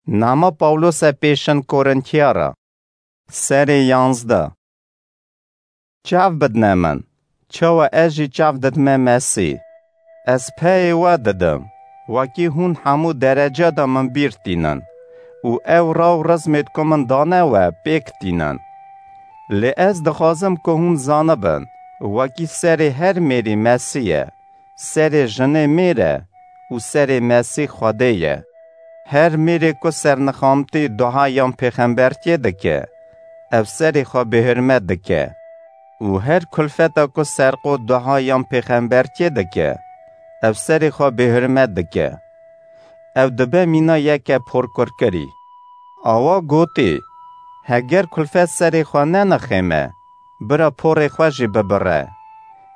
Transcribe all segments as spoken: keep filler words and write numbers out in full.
Nama Pawlose pêşin Korintiyara. Serê yanzdeh. Çav bidne min, çawa ez jî çav didime Mesîh. Ez peyê we didim, wekî hûn hemû dereca de min bîr tînin û ew raw rizmêd ku min dane we pêk tînin. Lê ez dixwazim ku hûn zanibin, wekî serê her mêrî Mesîh ye, serê jinê mêr e û serê Mesîh Xwedê ye. Her mêrê ku sernixamtî duha yan pêxembertiyê dike, ev serê xwe bêhurmet dike. Û her kulfeta ku serqot duha yan pêxembertiyê dike, ev serê xwe bêhurmet dike. Ew dibe mîna yeke porkurkirî. Awa gotî, heger kulfet serê xwe nenixême, bira porê xwe jî bibire.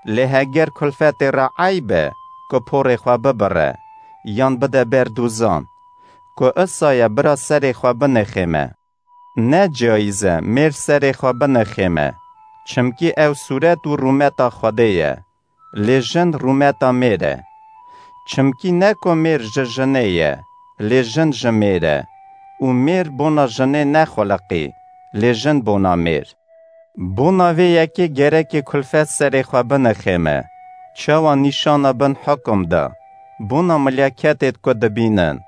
Lê heger kulfetê re eyb e ku porê xwe bibire, yan bide ber dûzan, ku isa ye bira serê xwe binixême. Ne cayîz e mêr serê xwe binixême, çimkî ew sûret û rûmeta Xwedê ye, lê jin rûmeta mêr e. Çimkî ne ku mêr ji jinê ye, lê jin ji mêr e, û mêr bona jinê nexuliqî, lê jin bona mêr. Bona vê yekê gerekê kulfet serê xwe binixême, çawa nîşana bin hukum da, bona milyaketêd ku dibînin.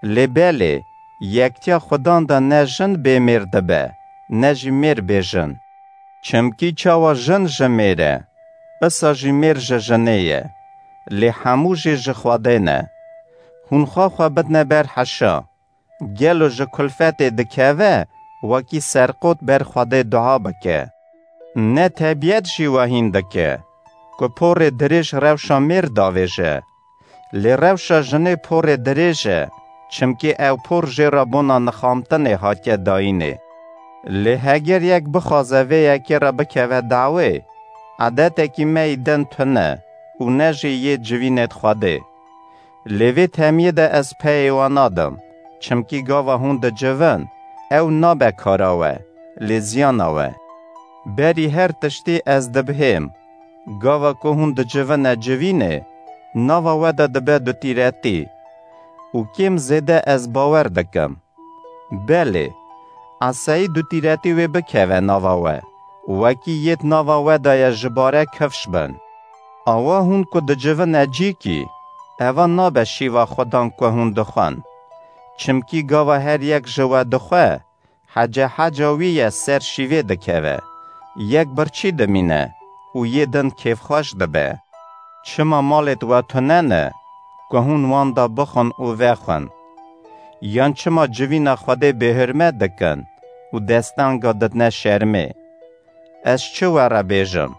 Lê belê, yektiya Xudan de ne jin bê mêr dibe, ne jî mêr bê jin. Çimkî çawa jin ji mêr e, isa jî mêr ji jinê ye. Lê hemû jî ji Xwedê ne. Hûn xwe xwe bidne ber heşa. Gelo ji kulfetê dikeve, wekî serqot ber Xwedê dua bike? Ne tebiyet jî we hîn dike, ku porê dirêj rewşa mêr davêje? Lê rewşa jinê porê dirêj e, çimkî ew por jê re bona nixamtinê hatiye dayînê. Lê heger yek bixwaze vê yekê re bikeve dawê, edetekî me yî din tune û ne jî yê civînêd Xwedê. Lê vê temiyê de ez peyê we nadim, çimkî gava hûn dicivin, ew nabe kara we, lê ziyana we. Berî her tiştî ez dibihêm, gava ku hûn dicivine civînê, nava we de dibe dutîretî. Û kêm zêde ez bawer dikim. Belê, esayî dutîretî wê bikeve nava we, wekî yêd nava we de ye ji bare kifş bin. Awa hûn ku dicivine cîkî, eva nabe şîva Xudan ku hûn dixwin. Çimkî gava her yek ji we dixwe, hece heca wî ye ser şîvê dikeve. Yek birçî dimîne û yê din kêfxweş dibe. Çima malêd we tune ne, ku hûn wan de bixwin û vexwin? Yan çima civîna Xwedê bêhurmet dikin û destanga didine şermê? Ez çi we re bêjim?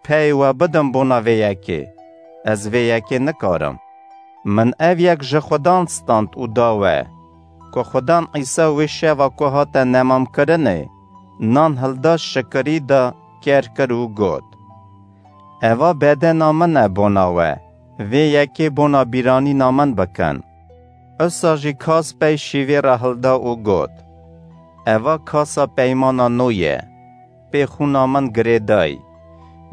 Peyê we bidim bona vê yekê, ez vê yekê nikarim. Min ev yek ji Xudan stand û da we, ku Xudan Îsa wê şeva ku hate nemamkirinê, nan hilda şikirî da, ker kir û got: Eva bedena min e bona we, vê yekê bona bîranîna min bikin. Isa jî kas pey şîvê re hilda û got: Eva kasa peymana nû ye, pê xûna min girêdayî.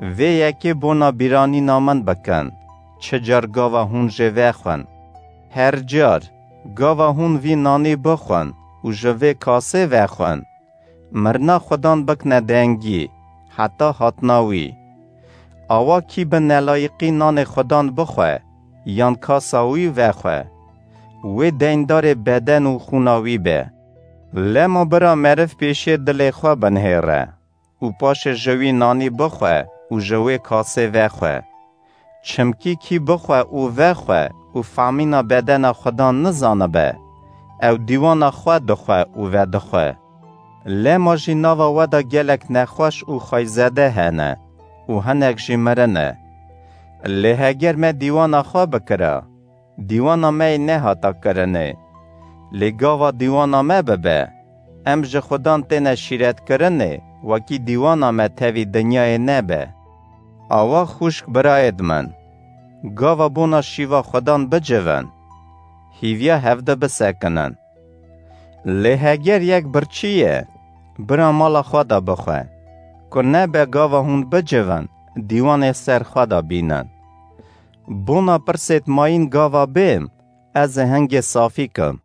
Vê yekê bona bîranîna min bikin, çi car gava hûn jê vexwin. Her car, gava hûn vî nanî bixwin û ji vê kasê vexwin, mirina Xudan bikne dengî, heta hatina wî. Awa kî bi nelayîqî nanê Xudan bixwe, yan kasa wî vexwe, wê deyndarê beden û xûna wî be. Lema bira meriv pêşê dilê xwe binihêre û paşê ji wî nanî bixwe û ji wê kasê vexwe. Çimkî kî bixwe û vexwe û famîna bedena Xudan nizanibe, ew dîwana xwe dixwe û vedixwe. Lema jî nava we de gelek nexweş û xweyzede hene û hinek jî mirin e. Lê heger me dîwana xwe bikira, dîwana me yê nehata kirinê. Lê gava dîwana me bibe, em ji Xudan têne şîretkirinê, wekî dîwana me tevî dinyayê nebe. Awa xwişk birayêd min, gava bona şîva Xudan bicivin, hîviya hevdi bisekinin. Lê heger yek birçî ye, bira mala xwe de bixwe, ku nebe gava hûn bicivin, dîwanê ser xwe de bînin. Bona pirsêd mayîn gava bêm, ez ê hingê safî kim.